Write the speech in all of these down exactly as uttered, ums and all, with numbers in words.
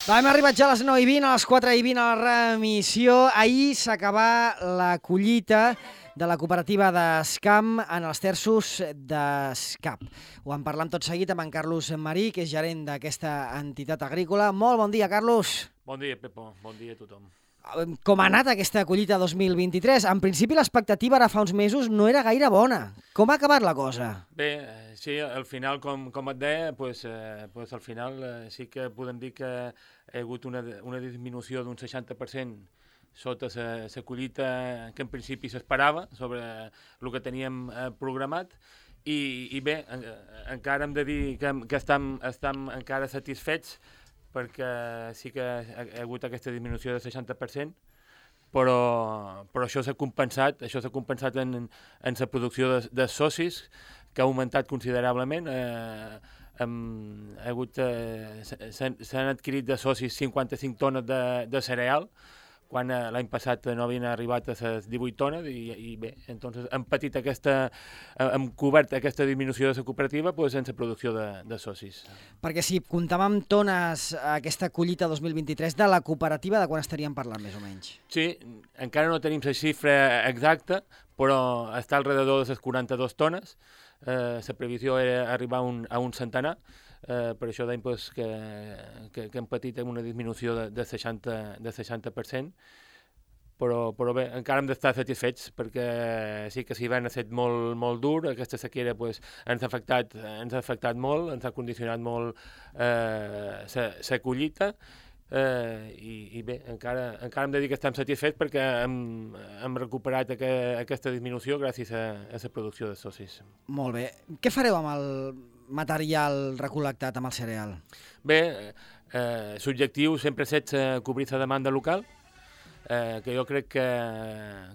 Hem arribat ja a les nou i vint, a les quatre i vint a la remissió. Ahir s'acabà la collita de la cooperativa d'Escam en els terços d'Escap. Ho en parlam tot seguit amb en Carlos Marí, que és gerent d'aquesta entitat agrícola. Molt bon dia, Carlos. Bon dia, Pepo. Bon dia a tothom. Com ha anat aquesta collita dos mil vint-i-tres? En principi l'expectativa ara fa uns mesos no era gaire bona. Com ha acabat la cosa? Bé, sí, al final, com, com et deia, pues, eh, pues al final eh, sí que podem dir que hi ha hagut una, una disminució d'un seixanta per cent sota la collita que en principi s'esperava sobre el que teníem eh, programat. I, i bé, en, encara hem de dir que, que estem, estem encara satisfets perquè sí que ha, ha hagut aquesta disminució del seixanta per cent, però, però això s'ha compensat, això s'ha compensat en, en la producció de, de socis, que ha augmentat considerablement. Eh, hem, ha hagut, eh, s'han adquirit de socis cinquanta-cinc tones de, de cereal, quan eh, l'any passat no havien arribat a les divuit tones, i, i bé, entonces hem patit aquesta, hem cobert aquesta disminució de la cooperativa pues, en la producció de, de socis. Perquè si comptàvem tones aquesta collita dos mil vint-i-tres de la cooperativa, de quan estaríem parlant més o menys? Sí, encara no tenim la xifra exacta, però està alrededor de les quaranta-dues tones. Eh, la previsió era arribar a un, a un centenar. Uh, per això deim pues, que, que, que hem patit una disminució de, de, seixanta, de seixanta per cent, però, però bé, encara hem d'estar satisfets perquè sí que l'hivern ha estat molt, molt dur, aquesta sequera pues, ens, ha afectat, ens ha afectat molt, ens ha condicionat molt la eh, collita. Uh, i, i bé, encara, encara hem de dir que estem satisfets perquè hem, hem recuperat aqua, aquesta disminució gràcies a, a la producció de socis. Molt bé. Què fareu amb el material recol·lectat, amb el cereal? Bé, eh, l'objectiu sempre ha estat cobrir la demanda local, eh, que jo crec que,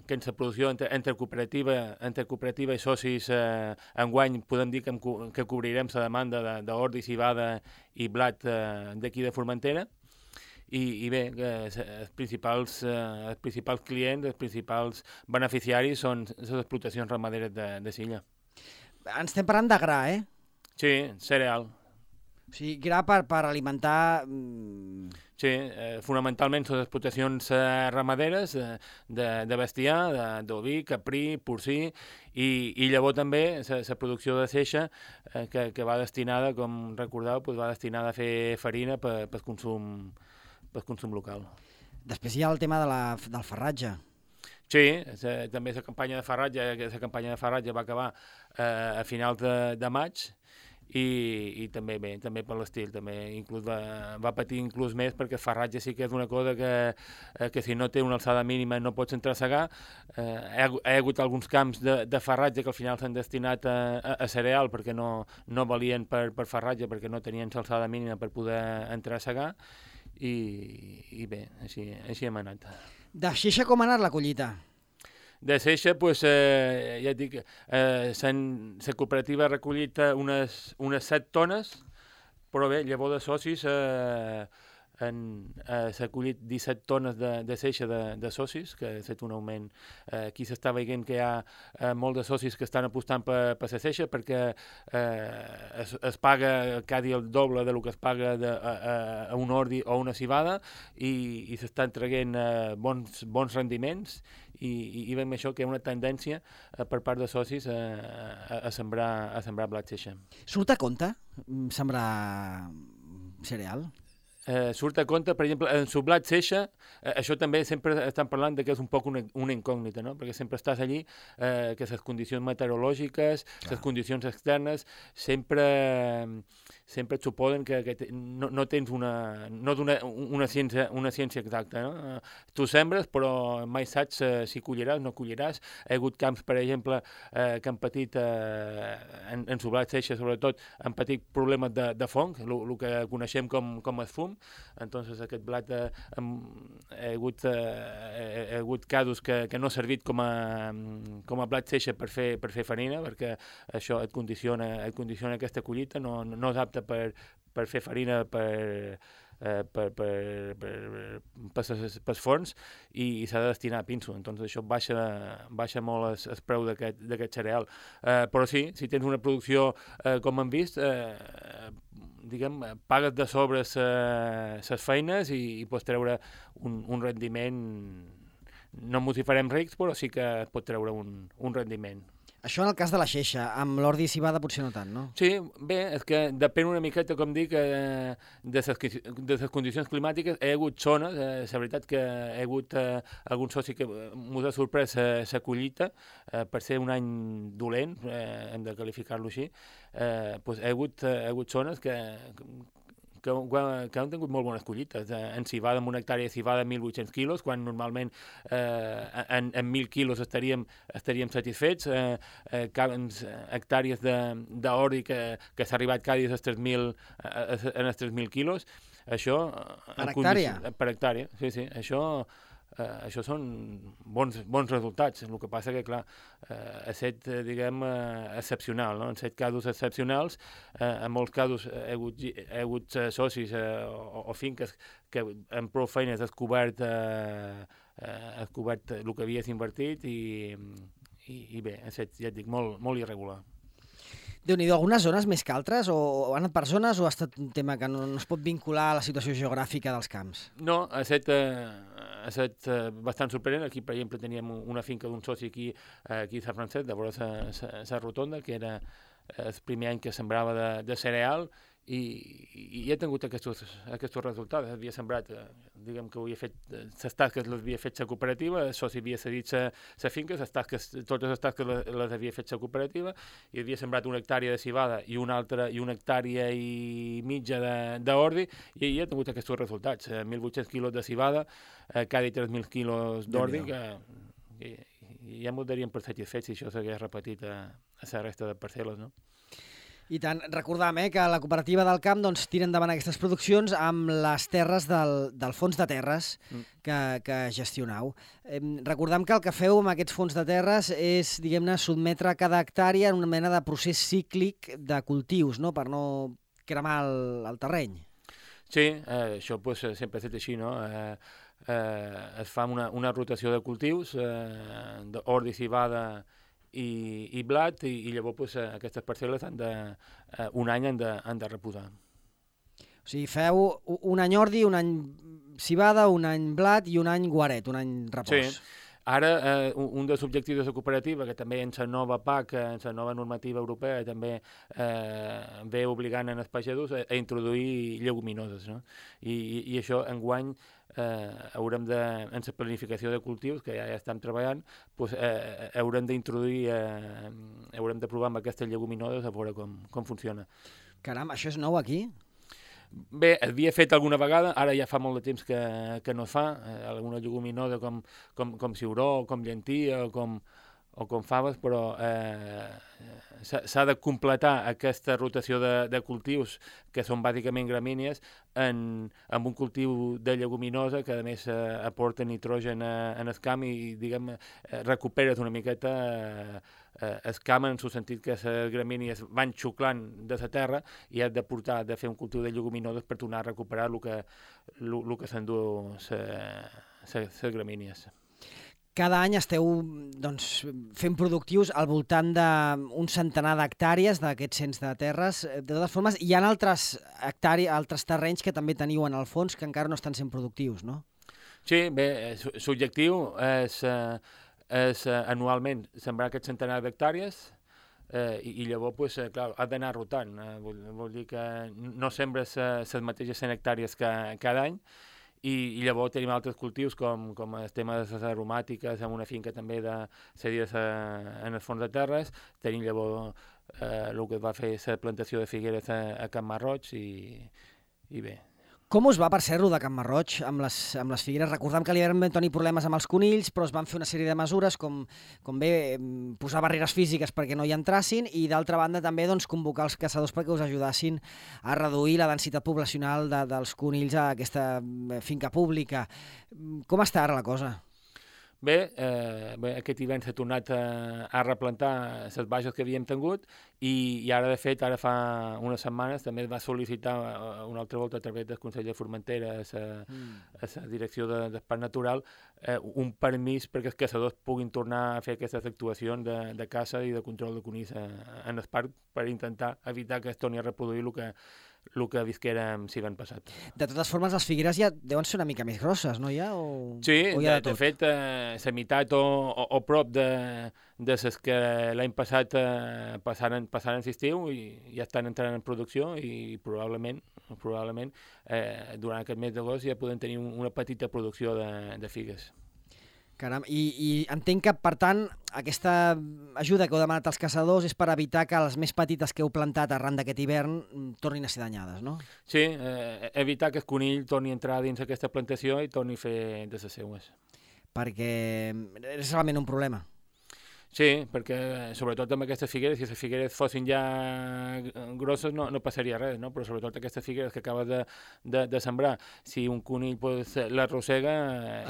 que en la producció entre, entre, cooperativa, entre cooperativa i socis eh, enguany podem dir que, hem, que cobrirem la demanda d'ordi, civada i blat eh, d'aquí de Formentera. I, i bé, eh, els, principals, eh, els principals clients, els principals beneficiaris són les explotacions ramaderes de, de Silla. Ens estem parlant de gra, eh? Sí, cereal. O sigui, gra per, per alimentar... Sí, eh, fonamentalment són explotacions eh, ramaderes eh, de, de bestiar, d'oví, caprí, porcí, i, i llavors també la producció de seixa eh, que, que va destinada, com recordeu, pues va destinada a fer farina per, per consum per consum local. Després hi ha el tema de la, del farratge. Sí, se, també la campanya de farratge, la campanya de farratge va acabar eh, a finals de, de maig i, i també bé, també per l'estil, també inclús va, va patir inclús més perquè el farratge sí que és una cosa que, eh, que si no té una alçada mínima no pots entrar a segar. Eh, hi, ha, hi ha hagut alguns camps de, de farratge que al final s'han destinat a, a, a cereal perquè no, no valien per, per farratge, perquè no tenien l'alçada mínima per poder entrar a segar. I, i bé, així, així hem anat. De seixa com ha anat la collita? De seixa, pues, eh, ja et dic, eh, la cooperativa ha recollit unes, unes set tones, però bé, llavors de socis eh, han, eh, s'ha collit disset tones de, de seixa de, de socis, que ha estat un augment. Eh, aquí s'està veient que hi ha eh, molts de socis que estan apostant per, per la seixa perquè eh, es, es paga cada dia el doble de lo que es paga de, a, a un ordi o una civada i, i s'estan traient eh, bons, bons rendiments i, i, i veiem això que hi ha una tendència eh, per part de socis a, a, a, sembrar, a sembrar blat seixa. Surt a compte sembrar cereal? Eh, surt a compte, per exemple, en el blat seixa, eh, això també sempre estan parlant de que és un poc una, una incògnita, no? Perquè sempre estàs allí, eh, que les condicions meteorològiques, les condicions externes, sempre, sempre et suposen que, que te, no, no tens una, no una, una, ciència, una ciència exacta, no? Tu sembres, però mai saps eh, si colliràs o no colliràs. Hi ha hagut camps, per exemple, eh, que han patit, eh, en, en el blat seixa, sobretot, han patit problemes de, de fong, el que coneixem com, com el fum. Entonces aquest blat eh, ha, hagut, eh, ha hagut casos que, que no ha servit com a, com a blat seixa per fer, per fer farina, perquè això et condiciona, et condiciona aquesta collita, no, no és apte per, per fer farina per, eh, per, per, per, per, per forns i, i s'ha de destinar a pinso. Entonces això baixa, baixa molt el, el preu d'aquest cereal. Eh, però sí, si tens una producció eh, com hem vist, eh, diguem, pagues de sobre les feines i, i pots treure un, un rendiment, no ens hi farem rics, però sí que pot treure un, un rendiment. Això en el cas de la Xeixa, amb l'ordi civada potser no tant, no? Sí, bé, és que depèn una miqueta, com dic, eh, de les condicions climàtiques. Hi ha hagut zones, eh, la veritat que hi ha hagut eh, algun soci que ens ha sorprès la collita, eh, per ser un any dolent, eh, hem de qualificar-lo així, eh, doncs hi ha hagut, eh, hi ha hagut zones que, que, que han tingut molt bones collites. En civada, en una hectàrea de civada, mil vuit-cents quilos, quan normalment eh, en, en mil quilos estaríem, estaríem satisfets. Eh, eh, hectàrees d'ordi que, que s'ha arribat cada dia als tres mil, en els tres mil quilos. Això, per hectàrea? Per hectàrea, sí, sí. Això... Uh, això són bons, bons resultats. El que passa que, clar, uh, ha estat, uh, diguem, uh, excepcional, no? En set casos excepcionals, uh, en molts casos hi ha hagut, hi ha hagut uh, socis uh, o, o finques que amb prou feines has cobert, uh, uh, has cobert el que havies invertit i, i, i bé, ha estat, ja et dic, molt, molt irregular. Déu-n'hi-do, algunes zones més que altres? O, o han anat per zones o ha estat un tema que no, no es pot vincular a la situació geogràfica dels camps? No, ha estat, eh, ha estat eh, bastant sorprenent. Aquí, per exemple, teníem una finca d'un soci aquí, eh, aquí a Sant Francesc, de vora la rotonda, que era el primer any que sembrava de, de cereal, i, i ha tingut aquests, aquests resultats. Havia sembrat, eh, diguem que havia fet, les tasques les havia fet la cooperativa, el soci havia cedit la finca, les tasques, totes les tasques les, les havia fet la cooperativa, i havia sembrat una hectàrea de civada i una altra i una hectàrea i mitja d'ordi, i ha tingut aquests resultats. Eh, mil vuit-cents quilos de civada, eh, cada tres mil quilos d'ordi, que i, i ja m'ho daríem per satisfets si això s'hagués repetit a, a la resta de parcel·les, no? I tant, recordam eh, que la cooperativa del camp doncs, tira endavant aquestes produccions amb les terres del, del fons de terres que, que gestionau. Eh, recordam que el que feu amb aquests fons de terres és, diguem-ne, sotmetre cada hectàrea en una mena de procés cíclic de cultius, no?, per no cremar el, el terreny. Sí, eh, això pues, sempre ha estat així, no? Eh, eh, es fa una, una rotació de cultius, eh, d'ordi, civada i, i blat, i, i llavors pues, aquestes parcel·les han de, eh, un any han de, han de reposar. O sigui, feu un any ordi, un any civada, un any blat i un any guaret, un any repòs. Sí. Ara, eh, un dels objectius de la cooperativa, que també en la nova P A C, en la nova normativa europea, també eh, ve obligant en els pagesos a, a introduir lleguminoses, no? I, i, i això, enguany, eh, haurem de, en la planificació de cultius, que ja, ja estem treballant, pues, eh, haurem d'introduir, eh, haurem de provar amb aquestes lleguminoses a veure com, com funciona. Caram, això és nou aquí? Bé, havia fet alguna vegada, ara ja fa molt de temps que, que no es fa, eh, alguna lleguminosa com, com, com ciuró, com llentia o com, o com faves, però eh, s'ha de completar aquesta rotació de, de cultius, que són bàsicament gramínies, en, en un cultiu de lleguminosa que a més eh, aporta nitrogen a, en el camp i, diguem, eh, recuperes una miqueta eh, eh, el camp en el sentit que les gramínies van xuclant de la terra i has de portar, de fer un cultiu de lleguminoses per tornar a recuperar el que, el, el que s'endú les gramínies. Cada any esteu doncs, fent productius al voltant d'un centenar d'hectàrees d'aquests cents de terres. De totes formes, hi ha altres, hectàrees, altres terrenys que també teniu en el fons que encara no estan sent productius, no? Sí, bé, l'objectiu és, és anualment sembrar aquest centenar d'hectàrees eh, i, i llavors, pues, clar, has d'anar rotant. Eh, vol, vol dir que no sembres les mateixes cent hectàrees que, cada any. I, i llavors tenim altres cultius com, com el tema de les aromàtiques, amb una finca també de cedides a, en els fons de terres. Tenim llavors eh, el que va fer la plantació de figueres a, a Can Marroig i, i bé. Com us va, per ser-ho, de Can Marroig amb les, amb les figueres? Recordem que li vam tenir problemes amb els conills, però es van fer una sèrie de mesures com, com bé posar barreres físiques perquè no hi entrassin i, d'altra banda, també doncs, convocar els caçadors perquè us ajudassin a reduir la densitat poblacional de, dels conills a aquesta finca pública. Com està ara la cosa? Bé, eh, bé, aquest hivern s'ha tornat a, a replantar les baixes que havíem tingut i, i ara, de fet, ara fa unes setmanes també va sol·licitar una altra volta a través del Consell de Formentera a la mm. direcció de, del Parc Natural eh, un permís perquè els caçadors puguin tornar a fer aquestes actuacions de, de caça i de control de conills en el parc per intentar evitar que es torni a reproduir el que, el que visquérem si l'any passat. De totes formes, les figueres ja deuen ser una mica més grosses, no hi ha? O... Sí, o hi ha de, de, de fet, eh, la meitat o, o, o prop de, de les que l'any passat eh, passaren, passaren l'estiu i ja estan entrant en producció i probablement, probablement eh, durant aquest mes d'agost ja podem tenir una petita producció de, de figues. Caram, i, i entenc que, per tant, aquesta ajuda que heu demanat als caçadors és per evitar que les més petites que heu plantat arran d'aquest hivern tornin a ser danyades, no? Sí, eh, evitar que el conill torni a entrar dins aquesta plantació i torni a fer de les seues. Perquè és realment un problema. Sí, perquè sobretot amb aquestes figueres, si les figueres fossin ja grosses no, no passaria res, no? Però sobretot aquestes figueres que acabes de, de, de sembrar, si un conill pues, l'arrossega...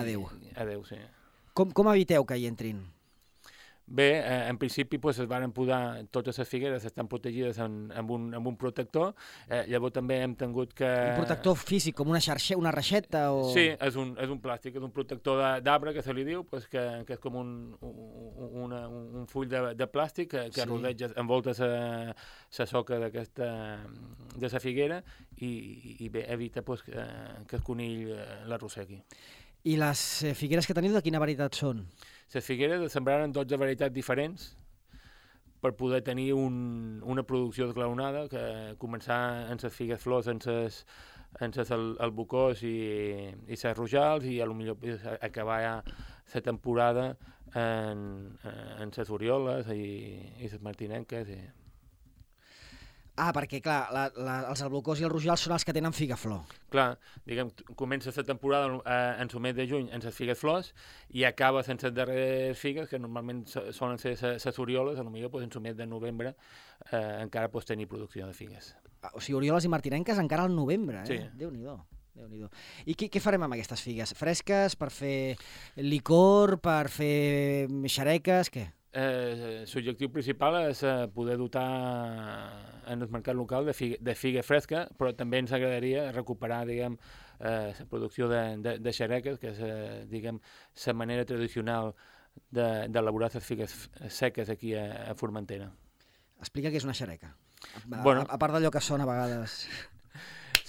Adéu. Adéu, sí. Com, com eviteu que hi entrin? Bé, eh, en principi pues, es van podar, totes les figueres estan protegides en, amb, un, amb un protector, eh, llavors també hem tingut que... Un protector físic, com una, xarxa, una reixeta? O... Sí, és un, és un plàstic, és un protector d'arbre que se li diu, pues, que, que és com un, un, una, un full de, de plàstic que, que sí. rodeja, envolta la soca d'aquesta de la figuera i, i bé, evita pues, que, que el conill l'arrossegui. I les figueres que teniu de quina varietat són? Les figueres es sembraren dotze varietats diferents per poder tenir un, una producció esglaonada, que començar amb les figues flors, amb les amb les albucós i, i les rojals, i a lo millor acabar ja la temporada en, en les orioles i, i les martinenques. I... Ah, perquè, clar, la, la, els albucós i els rojals són els que tenen figaflor. Clar, diguem, comença la temporada eh, en el mes de juny amb les figues flors i acaba sense les darreres figues, que normalment solen ser les orioles, potser pues, en el mes de novembre eh, encara pots tenir producció de figues. Ah, o sigui, orioles i martinenques encara al novembre, eh? Sí. Déu-n'hi-do. Déu-n'hi-do. I què, què farem amb aquestes figues? Fresques, per fer licor, per fer xareques, què? Eh, L'objectiu principal és eh, poder dotar en el mercat local de figa, de figa fresca, però també ens agradaria recuperar, diguem, eh, la producció de, de, de xareques, que és, eh, diguem, la manera tradicional d'elaborar de, les figues seques aquí a, a Formentera. Explica què és una xareca, a, bueno, a, a part d'allò que són a vegades...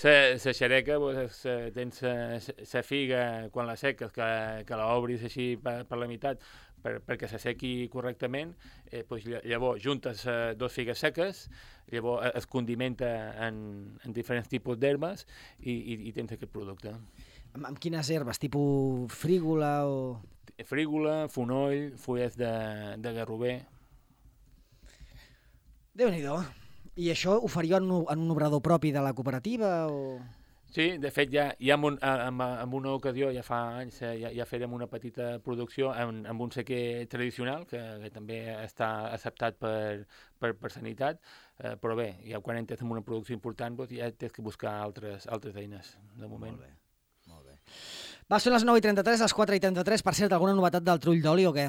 La xareca, pues, tens la figa, quan la seques, que, que l'obris així per, per la meitat, per, perquè se sequi correctament, eh, pues, llavors juntes eh, dos figues seques, llavors es condimenta en, en diferents tipus d'herbes i, i, i tens aquest producte. Amb, amb quines herbes? Tipus frígola o...? Frígola, fonoll, fulles de, de garrover... Déu-n'hi-do. I això ho faríeu en un, en un obrador propi de la cooperativa? O... Sí, de fet, ja, ja en, en, en una ocasió, ja fa anys, ja, ja fèrem una petita producció amb, amb un sequer tradicional, que, que també està acceptat per, per, per sanitat, eh, però bé, ja quan entres en una producció important, doncs ja tens que buscar altres, altres eines, de moment. Molt bé, molt bé. Va, són les nou i trenta-tres, les quatre i trenta-tres. Per cert, alguna novetat del trull d'oli o què?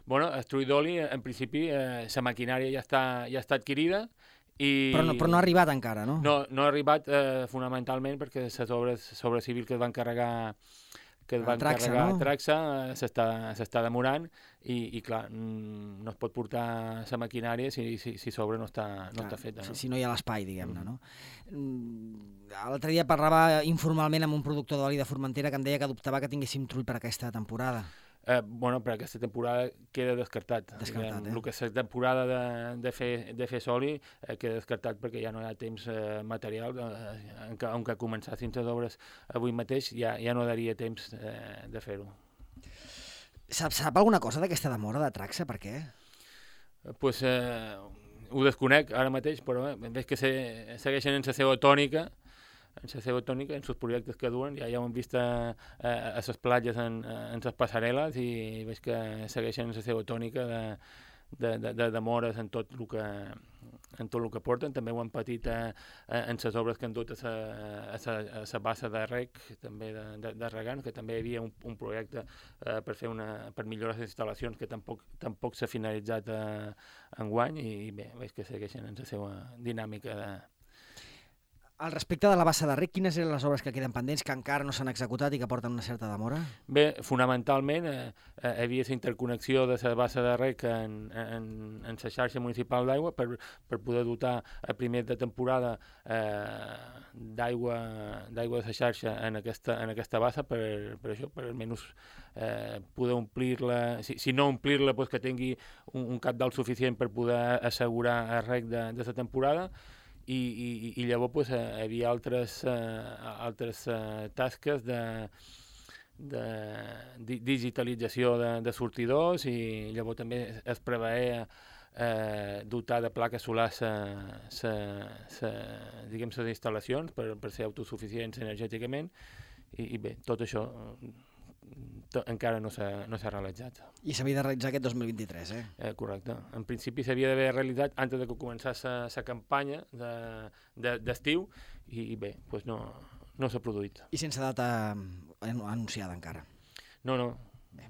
Bueno, el trull d'oli, en principi, eh, la maquinària ja està, ja està adquirida, I... Però, no, però no ha arribat encara, no? No, no ha arribat eh, fonamentalment perquè les obres sobre civil que es van carregar que es van Traxa, carregar no? a Traxa s'està demorant i, i clar, no es pot portar la maquinària si, si, si sobre no està, no clar, està feta. No? Si, si no hi ha l'espai, diguem-ne, no? L'altre dia parlava informalment amb un productor d'oli de Formentera que em deia que dubtava que tinguéssim trull per aquesta temporada. Eh, bueno, per aquesta temporada queda descartat. Descartat, eh? El que és la temporada de, de, fer, de fer soli eh, queda descartat perquè ja no hi ha temps eh, material. Eh, enca, encara començassin les obres avui mateix, ja, ja no daria temps eh, de fer-ho. Sap, sap alguna cosa d'aquesta demora de Traxa? Per què? Eh, pues, eh, ho desconec ara mateix, però eh, veig que se, segueixen en la seva tònica, en la seva tònica, en els projectes que duen, ja, ja ho hem vist a, a, a les platges, en, en les passarel·les, i veig que segueixen en la seva tònica de, de, de, de demores en tot el que, en tot el que porten. També ho han patit a, a, en les obres que han dut a la bassa de rec, també de, de, de regants, que també hi havia un, un projecte eh, per, fer una, per millorar les instal·lacions que tampoc, tampoc s'ha finalitzat eh, enguany, i bé, veig que segueixen en la seva dinàmica de... Al respecte de la bassa de rec, quines eren les obres que queden pendents, que encara no s'han executat i que porten una certa demora? Bé, fonamentalment eh, eh, hi havia la interconnexió de la bassa de rec en, en, en la xarxa municipal d'aigua per, per poder dotar a primer de temporada eh, d'aigua d'aigua de la xarxa en aquesta, en aquesta bassa per, per això, per almenys eh, poder omplir-la, si, si no omplir-la, pues que tingui un, un cap d'alt suficient per poder assegurar el rec de, de la temporada. I, i, i llavors pues, hi havia altres, uh, altres uh, tasques de, de di digitalització de, de sortidors i llavors també es preveia eh, dotar de plaques solars les instal·lacions per, per ser autosuficients energèticament i, i bé, tot això encara no s'ha no s'ha realitzat. I s'havia de realitzar aquest dos mil vint-i-tres, eh? eh correcte. En principi s'havia d'haver realitzat antes de que començés la campanya d'estiu de, de, i, i bé, doncs no, no s'ha produït. I sense data anunciada encara? No, no. Bé.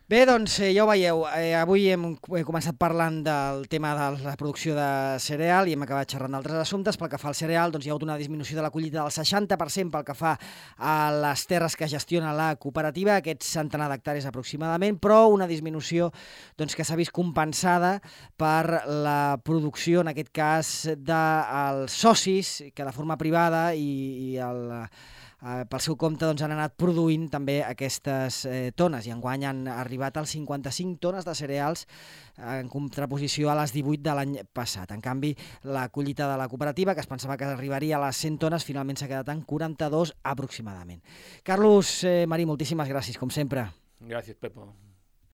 Bé, doncs eh, ja ho veieu, eh, avui hem, hem començat parlant del tema de la producció de cereal i hem acabat xerrant d'altres assumptes. Pel que fa al cereal, doncs hi ha hagut una disminució de la collita del seixanta per cent pel que fa a les terres que gestiona la cooperativa, aquests centenar d'hectàrees aproximadament, però una disminució doncs, que s'ha vist compensada per la producció, en aquest cas, dels socis, que de forma privada i, i el... Uh, pel seu compte doncs, han anat produint també aquestes eh, tones i enguany han arribat als cinquanta-cinc tones de cereals en contraposició a les divuit de l'any passat. En canvi, la collita de la cooperativa, que es pensava que arribaria a les cent tones, finalment s'ha quedat en quaranta-dos aproximadament. Carlos eh, Marí, moltíssimes gràcies, com sempre. Gràcies, Pepo.